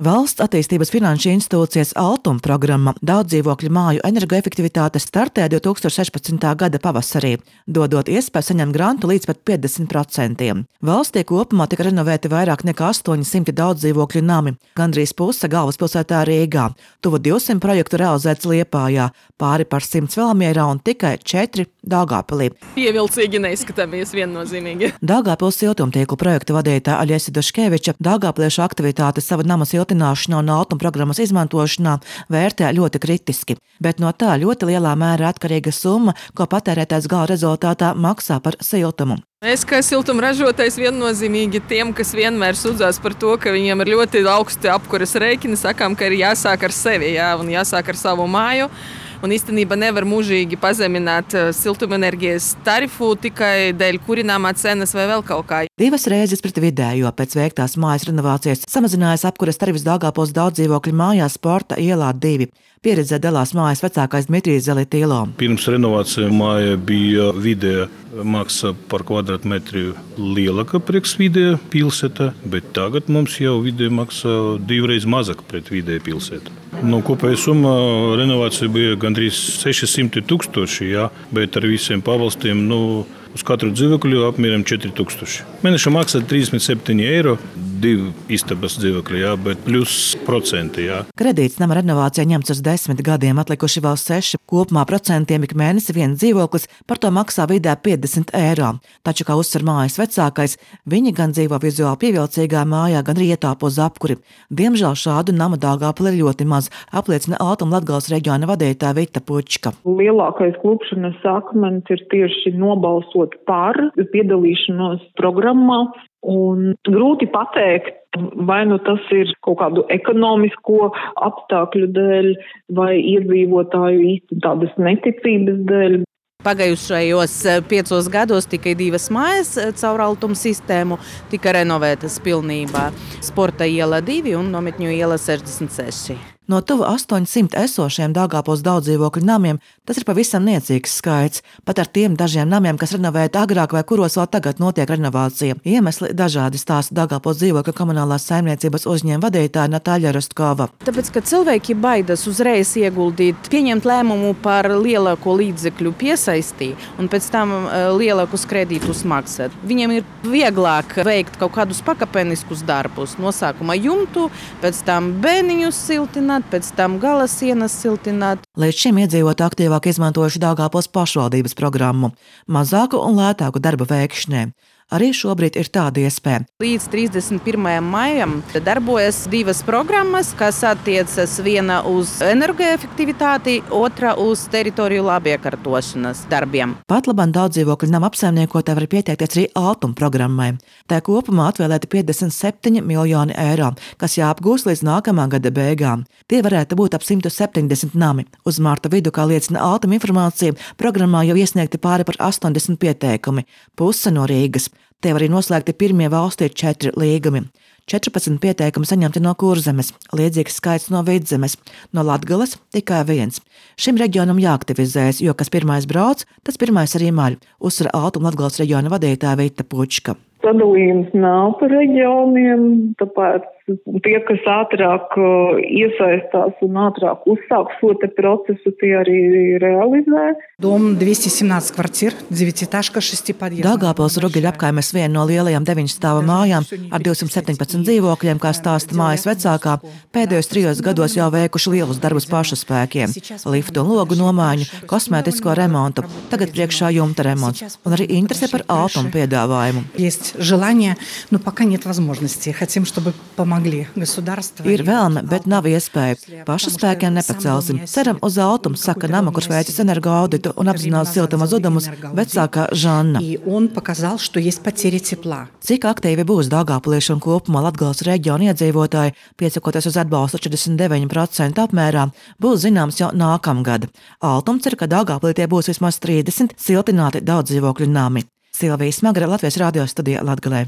Valsts attīstības finanšu institūcijas Altuma programma daudzdzīvokļu māju energoefektivitāte startē 2016. gada pavasarī, dodot iespēju saņemt grantu līdz pat 50%. Valstī kopumā tika renovēti vairāk nekā 800 daudzdzīvokļu nami, gandrīz puse galvaspilsētā Rīgā, tuvu 200 projektu realizēts Liepājā, pāri par 100 Valmierā un tikai 4 Daugavpilī. Pievilcīgi neizskatāmies viennozīmīgi. Daugavpils siltumtīklu projekta vadītāja Aļesa Duškeviča daugavpiliešu aktivitātes savu nama siltināšanā un Altuma programmas izmantošanā vērtē ļoti kritiski, bet no tā ļoti lielā mērā atkarīga summa, ko patērētājs gala rezultātā maksā par siltumu. Mēs, kā siltuma ražotājs, viennozīmīgi tiem, kas vienmēr sūdzās par to, ka viņiem ir ļoti augsti apkuras rēķini, sakām, ka ir jāsāk ar sevi, un jāsāk ar savu māju. Un īstenībā nevar mūžīgi pazemināt siltumenerģijas tarifu tikai dēļ kurināmā cenas vai vēl kaut kā. 2 reizes pret vidējo pēc veiktās mājas renovācijas samazinājās apkuras tarifs Daugavpils daudzdzīvokļu mājās Sporta ielā 2. Pieredzē dalās mājas vecākais Dmitrijs Zelitīlo. Pirms renovācija māja bija vidēja maksa par kvadrātmetru lielāka priekš vidēja pilsēta, bet tagad mums jau vidēja maksa 2 reizes mazāk pret vidēju pilsētu. Kopēja summa renovācija bija gandrīz 600 000, bet ar visiem pabalstiem uz katru dzīvokļu apmēram 4000. Mēneša maksa 37 eiro, 2 istabas dzīvokļi, bet plus procenti. Kredīts nama renovācijā ņemts uz 10 gadiem, atlikuši vēl 6. Kopumā procentiem ik mēnesi viens dzīvoklis par to maksā vidē 50 eiro. Taču, kā uzsver mājas vecākais, viņi gan dzīvo vizuāli pievilcīgā mājā, gan arī ietāpo uz apkuri. Diemžēl šādu nama Daugavpilī ir ļoti maz, apliecina Altuma Latgales reģiona vadītāja Vita Pučka. Lielākais klupšanas akmens ir tieši nobalsot par piedalīšanos programmā. Un grūti pateikt, vai tas ir kaut kādu ekonomisko apstākļu dēļ vai iedzīvotāju īsti tādas neticības dēļ. Pagājušajos 5 gados tikai 2 mājas caur Altuma sistēmu tika renovētas pilnībā. Sporta iela 2 un Nometņu iela 66. No tuvu 800 esošiem Daugavpils daudzdzīvokļu namiem tas ir pavisam niecīgs skaits, pat ar tiem dažiem namiem, kas renovēti agrāk vai kuros vēl tagad notiek renovācija. Iemesli dažādi, stāsta Daugavpils dzīvokļu komunālās saimniecības uzņēmuma vadītāja Natāļa Rostkova. Tāpēc, ka cilvēki baidas uzreiz ieguldīt, pieņemt lēmumu par lielāko līdzekļu piesaisti un pēc tam lielākus kredītus maksāt. Viņiem ir vieglāk veikt kaut kādus pakapeniskus darbus, no sākuma jumtu, pēc tam bēniņus siltināt, pēc tam gala sienas siltināt. Līdz šim iedzīvotāji aktīvāk izmantojuši Daugavpils pašvaldības programmu, mazāku un lētāku darba veikšanai. Arī šobrīd ir tāda iespēja. Līdz 31. maijam darbojas 2 programmas, kas attiecas viena uz energoefektivitāti, otra uz teritoriju labiekārtošanas darbiem. Pat labāk daudzdzīvokļu nama apsaimniekotāji var pieteikties arī Altuma programmai. Tā kopumā atvēlēti 57 miljoni eiro, kas jāapgūst līdz nākamā gada beigām. Tie varētu būt ap 170 nami. Uz marta vidu, kā liecina Altuma informācija, programmā jau iesniegti pāri par 80 pieteikumi, puse no Rīgas. Tie arī noslēgti pirmie valstī 4 līgumi. 14 pieteikumi saņemti no Kurzemes, līdzīgs skaits no Vidzemes, no Latgales tikai 1. Šim reģionam jāaktivizējas, jo kas pirmais brauc, tas pirmais arī maļ, uzsver Altuma Latgales reģiona vadītāja Vita Pučka. Sadalījums nav par reģioniem, tāpēc tie, kas ātrāk iesaistās un ātrāk uzsāk šo procesu, tie arī realizē. Dom 217 kvartīr, 9-etažka, 6 подъездов. Daugavpils Rugeļu apkaimes viena no lielajām 9 stāva mājām ar 217 dzīvokļiem, kā stāsta mājas vecākā, pēdējos 3 gados jau veikuši lielus darbus pašu spēkiem. Liftu un logu nomaiņu, kosmētisko remontu, tagad priekšā jumta remonts un arī interese par Altuma piedāvājumu. Желание, но пока нет возможности. Хотим, чтобы помогли государство. Ir vēlme, bet nav iespēja. Paša spēkiem nepacelsim. Ceram uz Altumu, saka nama, kurš veicis energo auditu un apzinās siltuma zudumus, vecākā Žanna. Cik aktīvi būs daugavpilieši un kopumā Latgales reģiona iedzīvotāji, piesakoties uz atbalstu 49% apmērā, būs zināms jau nākamgad. Altums cer, ka Daugavpilī tie būs vismaz 30 siltināti daudzdzīvokļu nami. Silvija Smagra, Latvijas radio studija Latgalē.